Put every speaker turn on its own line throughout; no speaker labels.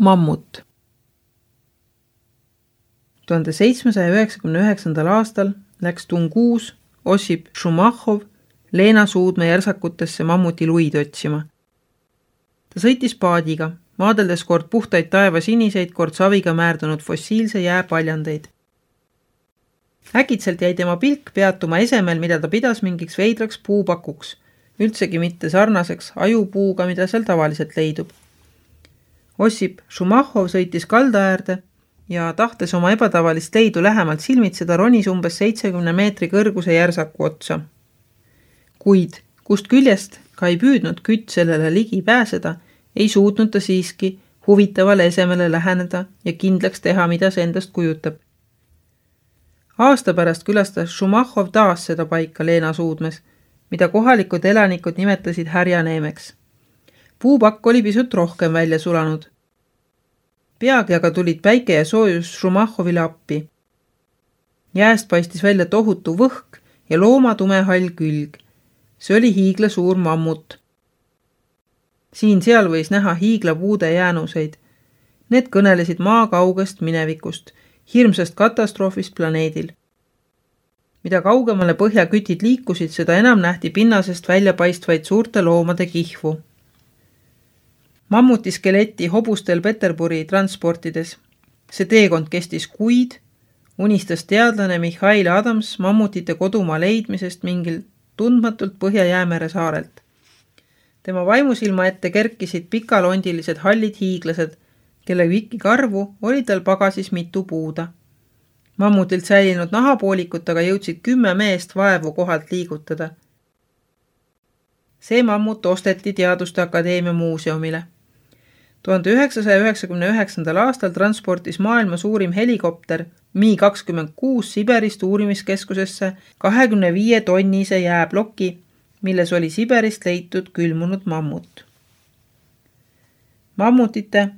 Mammut. 1799. aastal läks Tunguus Ossip Šumahov Leena Suudme järsakutesse mammuti luid otsima. Ta sõitis paadiga, vaadeldes kord puhtaid taeva siniseid, kord saviga määrdunud fossiilse jää paljandeid. Äkitselt jäi tema pilk peatuma esemel, mida ta pidas mingiks veidraks puupakuks, üldsegi mitte sarnaseks ajupuuga, mida seal tavaliselt leidub. Ossip Šumahov sõitis kalda äärde ja tahtes oma ebatavalist leidu lähemalt silmitseda, ronis umbes 70 meetri kõrguse järsaku otsa. Kuid kust küljest ka ei püüdnud kütt sellele ligi pääseda, ei suutnud ta siiski huvitavale esemele läheneda ja kindlaks teha, mida see endast kujutab. Aasta pärast külastas Šumahov taas seda paika Leena Suudmes, mida kohalikud elanikud nimetasid härjaneemeks. Puupakk oli pisut rohkem välja sulanud. Peagi aga tulid päike ja soojus Šumahovile appi. Jääst paistis välja tohutu võhk ja looma tume hall külg. See oli hiigla suur mammut. Siin-seal võis näha hiigla puude jäänuseid. Need kõnelesid maa kaugest minevikust, hirmsast katastroofist planeedil. Mida kaugemale põhjakütid liikusid, seda enam nähti pinnasest välja paistvaid suurte loomade kihvu. Mammuti skeleti hobustel Peterburi transportides. See teekond kestis kuid, unistas teadlane Mihhail Adams mammutite kodumaa leidmisest mingil tundmatult Põhja-Jäämere saarelt. Tema vaimusilma ette kerkisid pikalondilised hallid hiiglased, kelle vikikarvu oli tal pagasis mitu puuda. Mammutilt säilinud nahapoolikut aga jõudsid 10 meest vaevu kohalt liigutada. See mammut osteti Teaduste Akadeemia muuseumile. 1999. aastal transportis maailma suurim helikopter Mi-26 Siberist uurimiskeskusesse 25 tonnise jääbloki, milles oli Siberist leitud külmunud mammut. Mammutite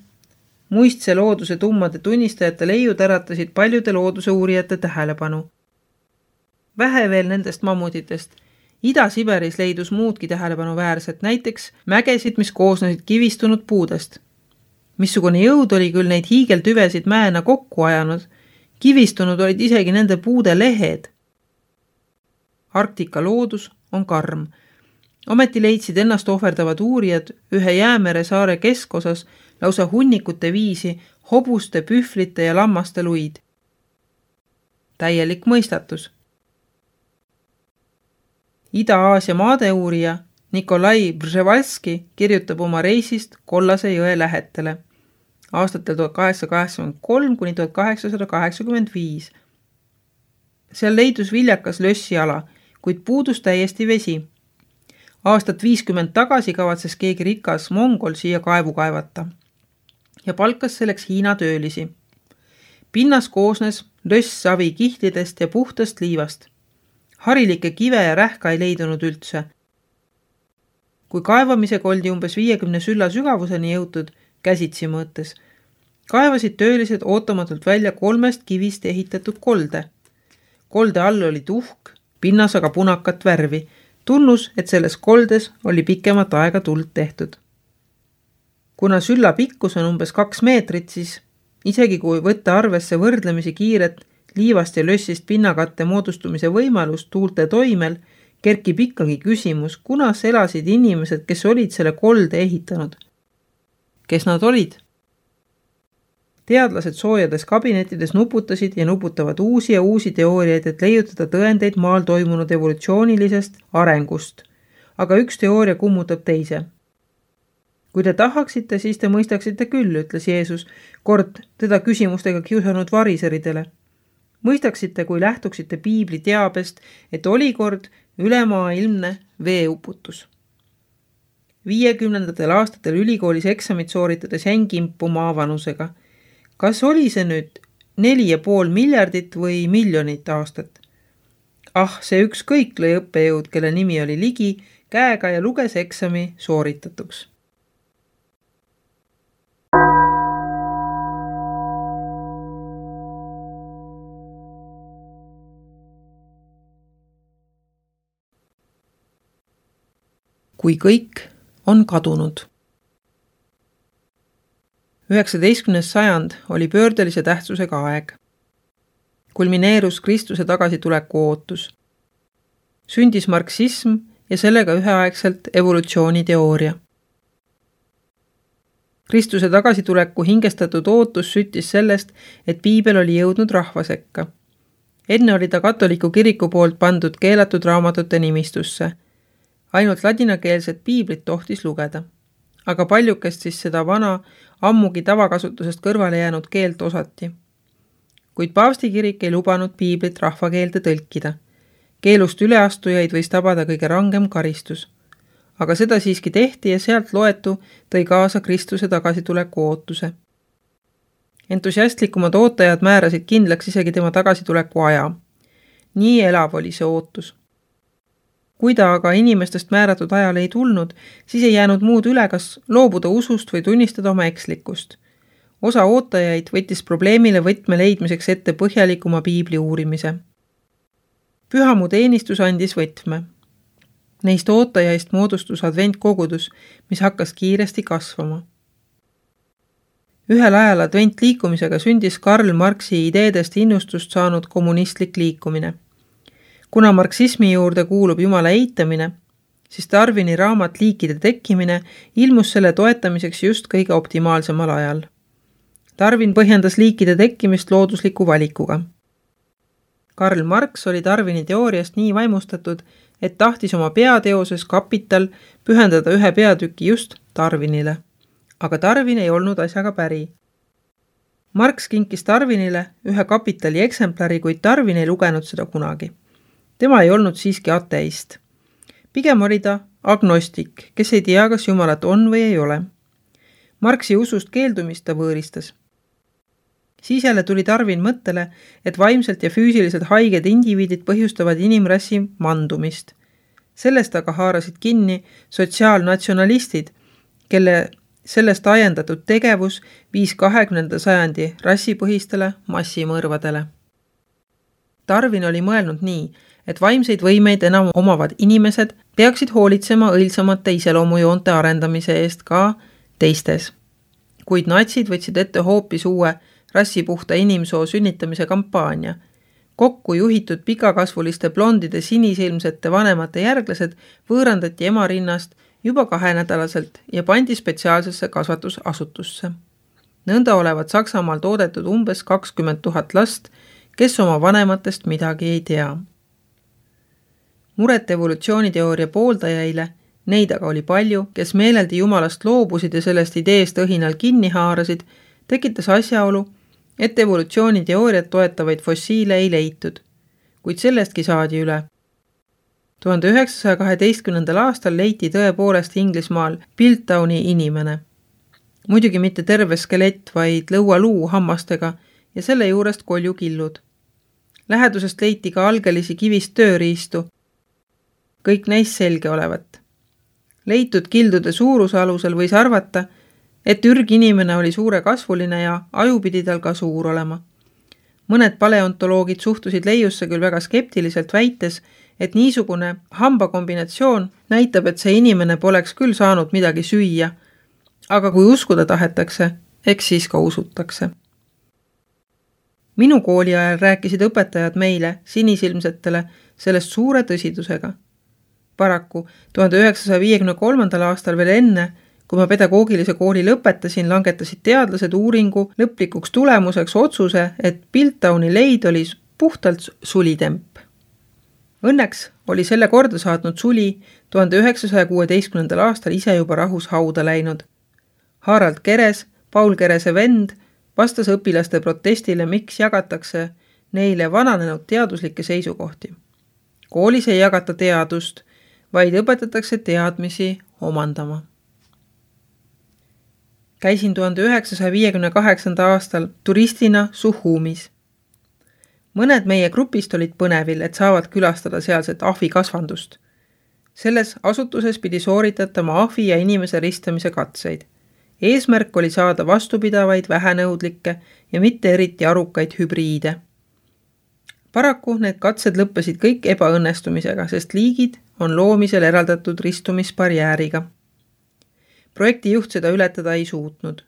muistse looduse tummade tunnistajate leiud äratasid paljude looduse uurijate tähelepanu. Vähe veel nendest mammutitest. Ida-Siberis leidus muudki tähelepanu väärset, näiteks mägesid, mis koosnesid kivistunud puudest. Missugune jõud oli küll neid hiigeltüvesid mäena kokku ajanud, kivistunud olid isegi nende puude lehed. Arktika loodus on karm. Ometi leidsid ennast ohverdavad uurijad ühe Jäämere saare keskosas lausa hunnikute viisi hobuste, pühvlite ja lammaste luid. Täielik mõistatus. Ida-Aasia maadeuurija Nikolai Brževalski kirjutab oma reisist Kollase jõe lähetele aastatel 1883 kuni 1885. Seal leidus viljakas lössiala, kuid puudus täiesti vesi. Aastat 50 tagasi kavatses keegi rikas mongol siia kaevu kaevata ja palkas selleks Hiina töölisi. Pinnas koosnes lössavi kihtidest ja puhtast liivast. Harilikke kive ja rähka ei leidunud üldse. Kui kaevamisega oldi umbes 50 sülla sügavuseni jõutud, käsitsi mõõtes, kaevasid töölised ootamatult välja 3 kivist ehitatud kolde. Kolde all oli tuhk, pinnas aga punakat värvi, tunnus, et selles koldes oli pikemat aega tuld tehtud. Kuna sülla pikkus on umbes 2 meetrit, siis isegi kui võtta arvesse võrdlemisi kiiret liivast ja lössist pinnakatte moodustumise võimalus tuulte toimel, kerkib ikkagi küsimus, kunas elasid inimesed, kes olid selle kolde ehitanud. Kes nad olid? Teadlased soojades kabinettides nuputasid ja nuputavad uusi ja uusi teooriaid, et leiutada tõendeid maal toimunud evolutsioonilisest arengust. Aga üks teooria kummutab teise. Kui te tahaksite, siis te mõistaksite küll, ütles Jeesus, kord teda küsimustega kiusanud variseridele. Mõistaksite, kui lähtuksite piibli teabest, et oli kord ülemaailmne veeuputus. 50. aastatel ülikoolis eksamit sooritades jäin kimpuma avanusega. Kas oli see nüüd 4,5 miljardit või miljonit aastat? See ükskõik lõi õppejõud, kelle nimi oli Ligi, käega ja luges eksami sooritatuks. Kui kõik on kadunud. 19. sajand oli pöördelise tähtsusega aeg. Kulmineerus Kristuse tagasituleku ootus. Sündis marksism ja sellega üheaegselt evolutsiooniteooria. Kristuse tagasituleku hingestatud ootus süttis sellest, et piibel oli jõudnud rahva sekka. Enne oli ta katoliku kiriku poolt pandud keelatud raamatute nimistusse. Ainult ladinakeelset piiblit tohtis lugeda. Aga paljukest siis seda vana, ammugi tavakasutusest kõrvale jäänud keelt osati. Kuid paavsti kirik ei lubanud piiblit rahvakeelde tõlkida. Keelust üleastujaid võis tabada kõige rangem karistus. Aga seda siiski tehti ja sealt loetu tõi kaasa Kristuse tagasituleku ootuse. Entusiastlikumad ootajad määrasid kindlaks isegi tema tagasituleku aja. Nii elav oli see ootus. Kui ta aga inimestest määratud ajale ei tulnud, siis ei jäänud muud üle, kas loobuda usust või tunnistada oma ekslikkust. Osa ootajaid võttis probleemile võtme leidmiseks ette põhjalikuma piibli uurimise. Pühamu teenistus andis võtme. Neist ootajaist moodustus adventkogudus, mis hakkas kiiresti kasvama. Ühel ajal adventliikumisega sündis Karl Marxi ideedest innustust saanud kommunistlik liikumine. Kuna marksismi juurde kuulub Jumala eitamine, siis Darwini raamat Liikide tekkimine ilmus selle toetamiseks just kõige optimaalsemal ajal. Darwin põhjendas liikide tekkimist loodusliku valikuga. Karl Marx oli Darwini teooriast nii vaimustatud, et tahtis oma peateoses Kapital pühendada ühe peatüki just Darwinile. Aga Darwin ei olnud asjaga päri. Marx kinkis Darwinile ühe Kapitali eksemplari, kuid Darwin ei lugenud seda kunagi. Tema ei olnud siiski ateist. Pigem oli ta agnostik, kes ei tea, kas Jumalat on või ei ole. Marxi usust keeldumist ta võõristas. Siis jälle tuli Darwin mõttele, et vaimselt ja füüsiliselt haiged indiviidid põhjustavad inimrassi mandumist. Sellest aga haarasid kinni sotsiaalnatsionalistid, kelle sellest ajendatud tegevus viis 20. sajandi rassipõhistele massimõrvadele. Darwin oli mõelnud nii, et vaimseid võimeid enam omavad inimesed peaksid hoolitsema õilsamate iseloomujoonte arendamise eest ka teistes. Kuid natsid võtsid ette hoopis uue rassipuhta inimsoo sünnitamise kampaania. Kokku juhitud pikakasvuliste blondide sinisilmsete vanemate järglased võõrandati ema rinnast juba 2-nädalaselt ja pandi spetsiaalsesse kasvatusasutusse. Nõnda olevat Saksamaal toodetud umbes 20 000 last, kes oma vanematest midagi ei tea. Muret evolutsiooniteooria pooldajaile, neid aga oli palju, kes meeleldi Jumalast loobusid ja sellest ideest õhinal kinni haarasid, tekitas asjaolu, et evolutsiooniteooriat toetavaid fossiile ei leitud, kuid sellestki saadi üle. 1912. aastal leiti tõepoolest Inglismaal Piltdowni inimene. Muidugi mitte terve skelett, vaid lõualuu hammastega ja selle juurest koljukillud. Lähedusest leiti ka algelisi kivist tööriistu, kõik neist selge olevat. Leitud kildude suuruse alusel võis arvata, et ürginimene oli suure kasvuline ja aju pidi tal ka suur olema. Mõned paleontoloogid suhtusid leiusse küll väga skeptiliselt väites, et niisugune hambakombinatsioon näitab, et see inimene poleks küll saanud midagi süüa, aga kui uskuda tahetakse, eks siis ka usutakse. Minu kooli ajal rääkisid õpetajad meile, sinisilmsetele, sellest suure tõsidusega. Paraku 1953. aastal veel enne, kui ma pedagoogilise kooli lõpetasin, langetasid teadlased uuringu lõplikuks tulemuseks otsuse, et Piltdowni leid oli puhtalt sulitemp. Õnneks oli selle korda saatnud suli 1916. aastal ise juba rahus hauda läinud. Harald Keres, Paul Kerese vend, vastas õpilaste protestile, miks jagatakse neile vananenud teaduslikke seisukohti. Koolis ei jagata teadust, vaid õpetatakse teadmisi omandama. Käisin 1958. aastal turistina Suhumis. Mõned meie grupist olid põnevil, et saavad külastada sealset ahvikasvandust. Selles asutuses pidi sooritatama ahvi ja inimese ristamise katseid. Eesmärk oli saada vastupidavaid, vähenõudlikke ja mitte eriti arukaid hübriide. Paraku need katsed lõppesid kõik ebaõnnestumisega, sest liigid on loomisel eraldatud ristumisbarjääriga. Projekti juht seda ületada ei suutnud.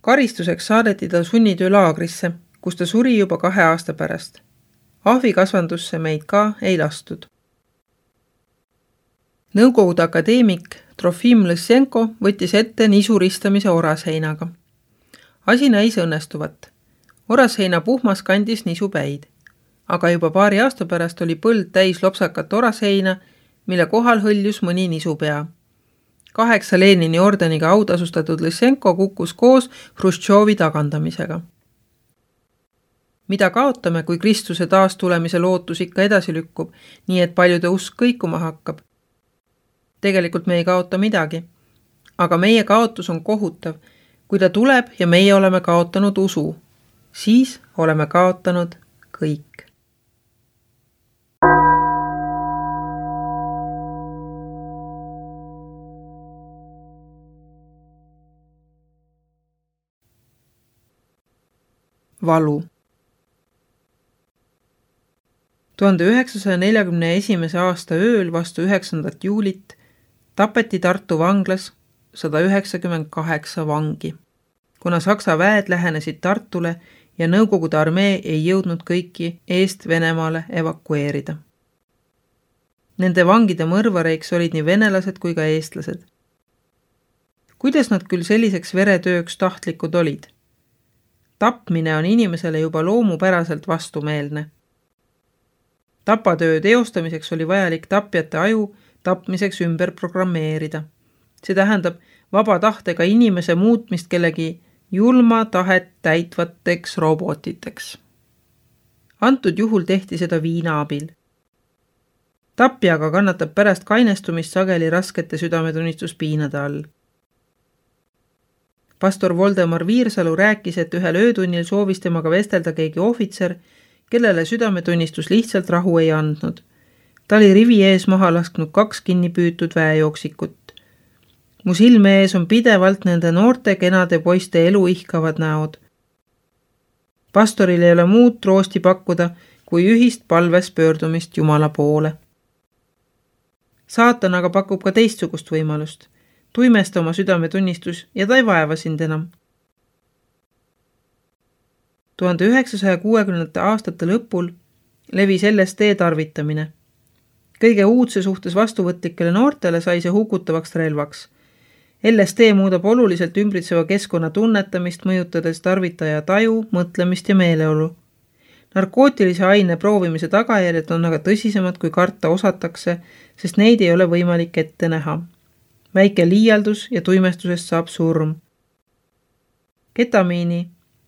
Karistuseks saadeti ta sunnitöölaagrisse, kus ta suri juba 2 aasta pärast. Ahvikasvandusse meid ka ei lastud. Nõukogude akadeemik Trofim Lõssenko võttis ette nisuristamise orasheinaga. Asi näis õnnestuvat. Orasheina puhmas kandis nisupäid, aga juba paari aasta pärast oli põld täis lopsakat orasheina, mille kohal hõljus mõni nisupea. 8 Lenini ordeniga autasustatud Lõssenko kukkus koos Hruštšovi tagandamisega. Mida kaotame, kui Kristuse taastulemise lootus ikka edasi lükkub, nii et paljude usk kõikuma hakkab? Tegelikult me ei kaota midagi, aga meie kaotus on kohutav. Kui ta tuleb ja meie oleme kaotanud usu, siis oleme kaotanud kõik. Valu. 1941. aasta ööl vastu 9. juulit tapeti Tartu vanglas 198 vangi, kuna Saksa väed lähenesid Tartule ja Nõukogude armee ei jõudnud kõiki eest Venemaale evakueerida. Nende vangide mõrvareiks olid nii venelased kui ka eestlased. Kuidas nad küll selliseks veretööks tahtlikud olid? Tapmine on inimesele juba loomupäraselt vastumeelne. Tapatöö teostamiseks oli vajalik tapjate aju tapmiseks ümber programmeerida. See tähendab vaba tahtega inimese muutmist kellegi julma tahet täitvateks robotiteks. Antud juhul tehti seda viina abil. Tapjaga kannatab pärast kainestumist sageli raskete südametunnistuspiinade all. Pastor Voldemar Viirsalu rääkis, et ühel öötunnil soovis temaga vestelda keegi ohvitser, kellele südametunnistus lihtsalt rahu ei andnud. Ta oli rivi ees maha lasknud 2 kinni püütud väejooksikut. Mu silme ees on pidevalt nende noorte kenade poiste elu ihkavad näod. Pastoril ei ole muud troosti pakkuda, kui ühist palves pöördumist Jumala poole. Saatan aga pakub ka teistsugust võimalust. Tuimesta oma südametunnistus ja ta ei vaeva sind enam. 1960. aastate lõpul levis LSD tarvitamine. Kõige uudse suhtes vastuvõtlikele noortele sai see hukutavaks relvaks. LSD muudab oluliselt ümbritseva keskkonna tunnetamist, mõjutades tarvitaja taju, mõtlemist ja meeleolu. Narkootilise aine proovimise tagajärjed on aga tõsisemad, kui karta osatakse, sest neid ei ole võimalik ette näha. Väike liialdus ja tuimestusest saab surm. Ketamiini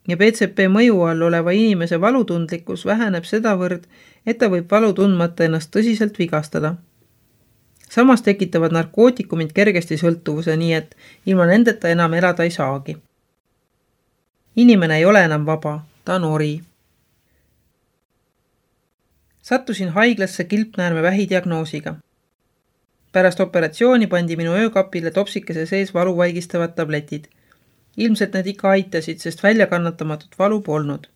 ja PCP mõju all oleva inimese valutundlikkus väheneb sedavõrd, et ta võib valu tundmata ennast tõsiselt vigastada. Samas tekitavad narkootikumid kergesti sõltuvuse, nii et ilma nendeta enam elada ei saagi. Inimene ei ole enam vaba, ta on ori. Sattusin haiglasse kilpnäärme vähidiagnoosiga. Pärast operatsiooni pandi minu öökapile topsikese sees valu vaigistavad tabletid. Ilmselt need ikka aitasid, sest väljakannatamatut valu polnud.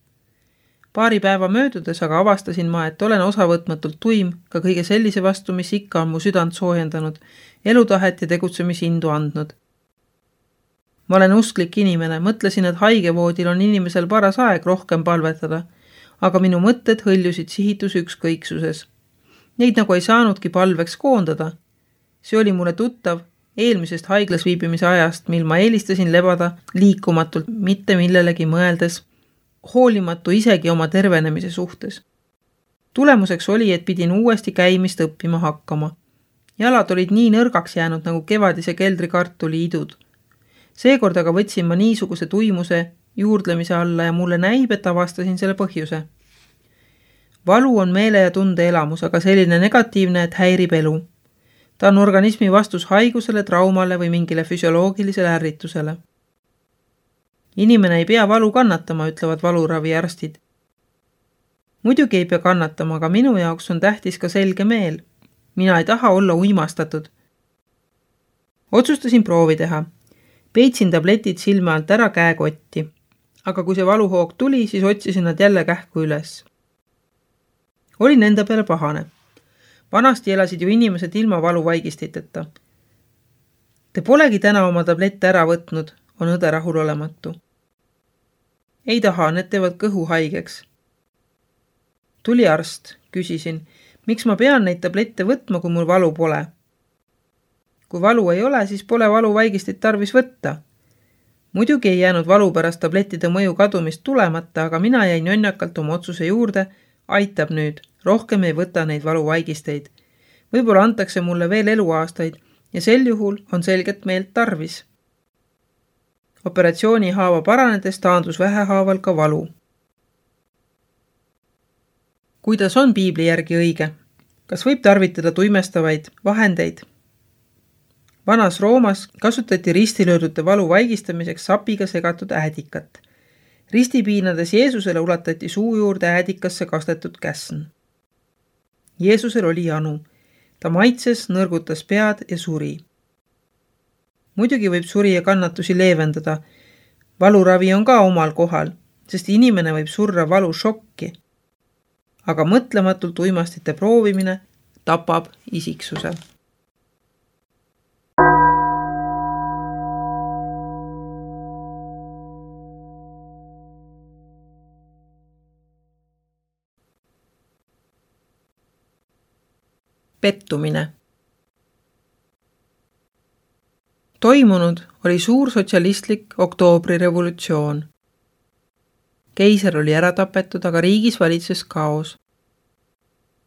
Paari päeva möödudes aga avastasin ma, et olen osavõtmatult tuim ka kõige sellise vastu, mis ikka on mu südant soojendanud, elutahet ja tegutsemisindu andnud. Ma olen usklik inimene, mõtlesin, et haigevoodil on inimesel paras aeg rohkem palvetada, aga minu mõtted hõljusid sihitus ükskõiksuses. Neid nagu ei saanudki palveks koondada. See oli mulle tuttav eelmisest haiglas viibimise ajast, mil ma eelistasin lebada liikumatult, mitte millelegi mõeldes, hoolimatu isegi oma tervenemise suhtes. Tulemuseks oli, et pidin uuesti käimist õppima hakkama. Jalad olid nii nõrgaks jäänud nagu kevadise keldrikartuli idud. Seekord aga võtsin ma niisuguse tuimuse juurdlemise alla ja mulle näib, et avastasin selle põhjuse. Valu on meele ja tunde elamus, aga selline negatiivne, et häirib elu. Ta on organismi vastus haigusele, traumale või mingile füsioloogilisele ärritusele. Inimene ei pea valu kannatama, ütlevad valuraviarstid. Muidugi ei pea kannatama, aga minu jaoks on tähtis ka selge meel. Mina ei taha olla uimastatud. Otsustasin proovi teha. Peitsin tabletid silme alt ära käekotti. Aga kui see valuhoog tuli, siis otsisin nad jälle kähku üles. Olin enda peale pahane. Vanasti elasid ju inimesed ilma valuvaigistiteta. Te polegi täna oma tablette ära võtnud, on õde rahulolematu. Ei taha, need teevad kõhu haigeks. Tuli arst, küsisin, miks ma pean neid tablette võtma, kui mul valu pole? Kui valu ei ole, siis pole valuvaigistit tarvis võtta. Muidugi ei jäänud valu pärast tablettide mõju kadumist tulemata, aga mina jäin jonnakalt oma otsuse juurde, aitab nüüd, rohkem ei võta neid valuvaigisteid. Võib-olla antakse mulle veel eluaastaid ja sel juhul on selget meelt tarvis. Operatsiooni haava paranedes taandus vähehaaval ka valu. Kuidas on piibli järgi õige? Kas võib tarvitada tuimestavaid vahendeid? Vanas Roomas kasutati ristilöödute valu vaigistamiseks sapiga segatud äädikat. Ristipiinades Jeesusele ulatati suu juurde äädikasse kastetud käsn. Jeesusel oli janu. Ta maitses, nõrgutas pead ja suri. Muidugi võib suri ja kannatusi leevendada. Valuravi on ka omal kohal, sest inimene võib surra valu šokki. Aga mõtlematult uimastite proovimine tapab isiksuse. Pettumine. Toimunud oli suur sotsialistlik oktoobrirevolutsioon. Keiser oli ära tapetud, aga riigis valitses kaos.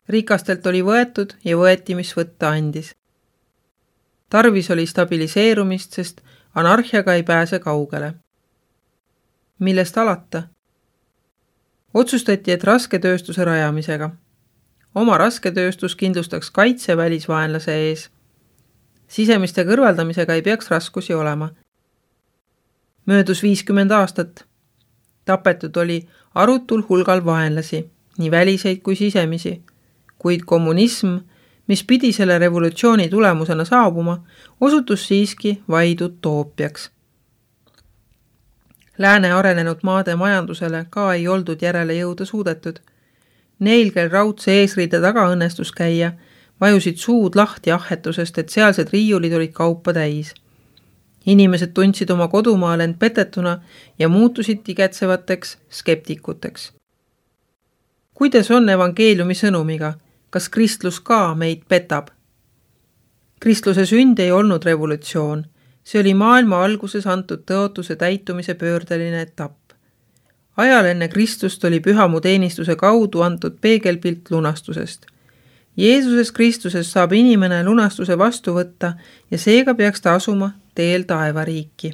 Rikastelt oli võetud ja võeti, mis võtta andis. Tarvis oli stabiliseerumist, sest anarhiaga ei pääse kaugele. Millest alata? Otsustati, et rasketööstuse rajamisega. Oma rasketööstus kindlustaks kaitse välisvaenlase ees. Sisemiste kõrvaldamisega ei peaks raskusi olema. Möödus 50 aastat. Tapetud oli arutul hulgal vaenlasi, nii väliseid kui sisemisi, kuid kommunism, mis pidi selle revolutsiooni tulemusena saabuma, osutus siiski vaid utoopiaks. Lääne arenenud maade majandusele ka ei oldud järele jõuda suudetud. Neil, kel raudse eesriide taga õnnestus käia, vajusid suud lahti ahhetusest, et sealsed riiulid olid kaupa täis. Inimesed tundsid oma kodumaal end petetuna ja muutusid tigetsevateks skeptikuteks. Kuidas on evangeeliumi sõnumiga? Kas kristlus ka meid petab? Kristluse sünd ei olnud revolutsioon. See oli maailma alguses antud tõotuse täitumise pöördeline etapp. Ajal enne Kristust oli pühamu teenistuse kaudu antud peegelpilt lunastusest. Jeesuses Kristuses saab inimene lunastuse vastu võtta ja seega peaks ta asuma teel taevariiki.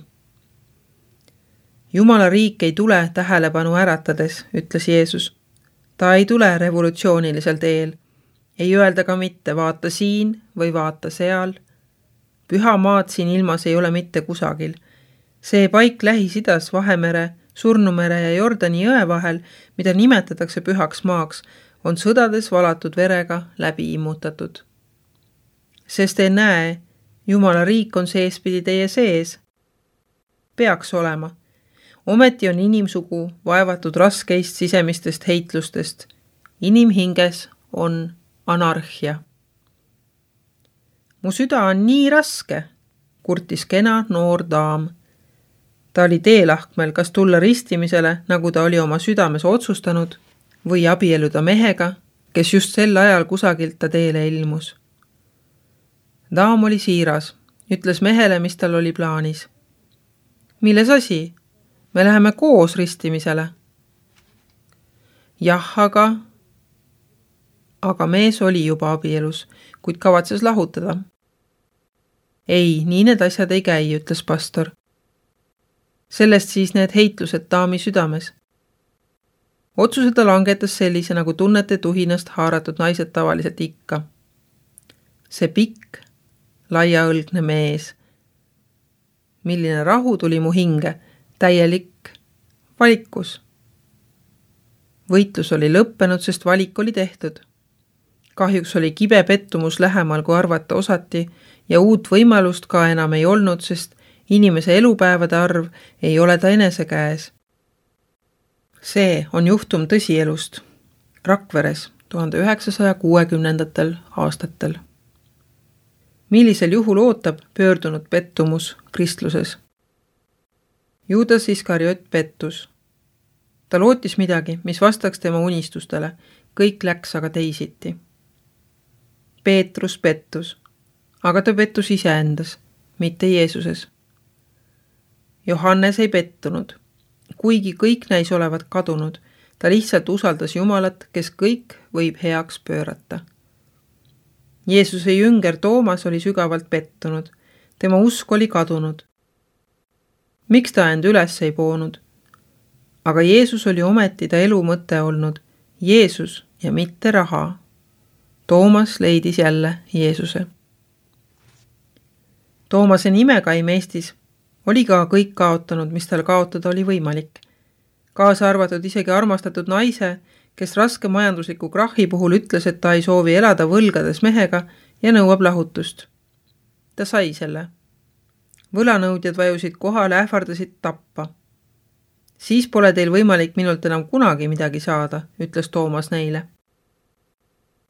Jumala riik ei tule tähelepanu äratades, ütles Jeesus. Ta ei tule revolutsioonilisel teel. Ei öelda ka mitte vaata siin või vaata seal. Püha maad siin ilmas ei ole mitte kusagil. See paik Lähis-Idas Vahemere, Surnumere ja Jordani jõe vahel, mida nimetatakse pühaks maaks, on sõdades valatud verega läbi immutatud. Sest te näe, Jumala riik on seespidi teie sees. Peaks olema. Ometi on inimsugu vaevatud raskeist sisemistest heitlustest. Inimhinges on anarhia. Mu süda on nii raske, kurtis kena noor daam. Ta oli teelahkmel, kas tulla ristimisele, nagu ta oli oma südames otsustanud, või abielluda mehega, kes just sel ajal kusagilt ta teele ilmus. Daam oli siiras, ütles mehele, mis tal oli plaanis. Milles asi? Me läheme koos ristimisele. Jah, aga mees oli juba abielus, kuid kavatses lahutada. Ei, nii need asjad ei käi, ütles pastor. Sellest siis need heitlused daami südames. Otsuse ta langetas sellise, nagu tunnete tuhinast haaratud naised tavaliselt ikka. See pikk, laiaõlgne mees. Milline rahu tuli mu hinge, täielik valikus. Võitlus oli lõppenud, sest valik oli tehtud. Kahjuks oli kibe pettumus lähemal, kui arvata osati, ja uut võimalust ka enam ei olnud, sest inimese elupäevade arv ei ole ta enese käes. See on juhtum tõsielust. Rakveres 1960. aastatel. Millisel juhul ootab pöördunud pettumus kristluses? Juudas Iskariot pettus. Ta lootis midagi, mis vastaks tema unistustele. Kõik läks aga teisiti. Peetrus pettus, aga ta pettus iseendas, mitte Jeesuses. Johannes ei pettunud. Kuigi kõik näis olevat kadunud, ta lihtsalt usaldas Jumalat, kes kõik võib heaks pöörata. Jeesuse jünger Toomas oli sügavalt pettunud. Tema usk oli kadunud. Miks ta end üles ei poonud? Aga Jeesus oli ometi ta elu mõte olnud. Jeesus ja mitte raha. Toomas leidis jälle Jeesuse. Toomase nimekaim Eestis oli ka kõik kaotanud, mis tal kaotada oli võimalik. Kaasa arvatud isegi armastatud naise, kes raske majandusliku krahhi puhul ütles, et ta ei soovi elada võlgades mehega ja nõuab lahutust. Ta sai selle. Võlanõudjad vajusid kohale, ähvardasid tappa. Siis pole teil võimalik minult enam kunagi midagi saada, ütles Toomas neile.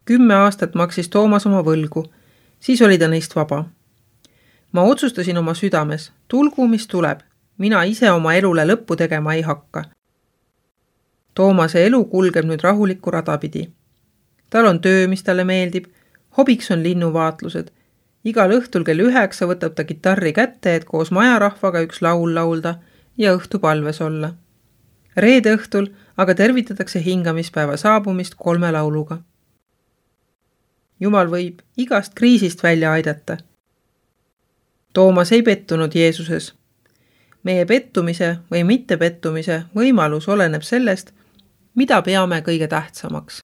10 aastat maksis Toomas oma võlgu, siis oli ta neist vaba. Ma otsustasin oma südames, tulgu mis tuleb, mina ise oma elule lõppu tegema ei hakka. Toomase elu kulgeb nüüd rahulikku rada pidi. Tal on töö, mis talle meeldib, hobiks on linnuvaatlused. Igal õhtul kell 9 võtab ta kitarri kätte, et koos majarahvaga üks laul laulda ja õhtupalves olla. Reede õhtul aga tervitatakse hingamispäeva saabumist 3 lauluga. Jumal võib igast kriisist välja aidata. Toomas ei pettunud Jeesuses. Meie pettumise või mittepettumise võimalus oleneb sellest, mida peame kõige tähtsamaks.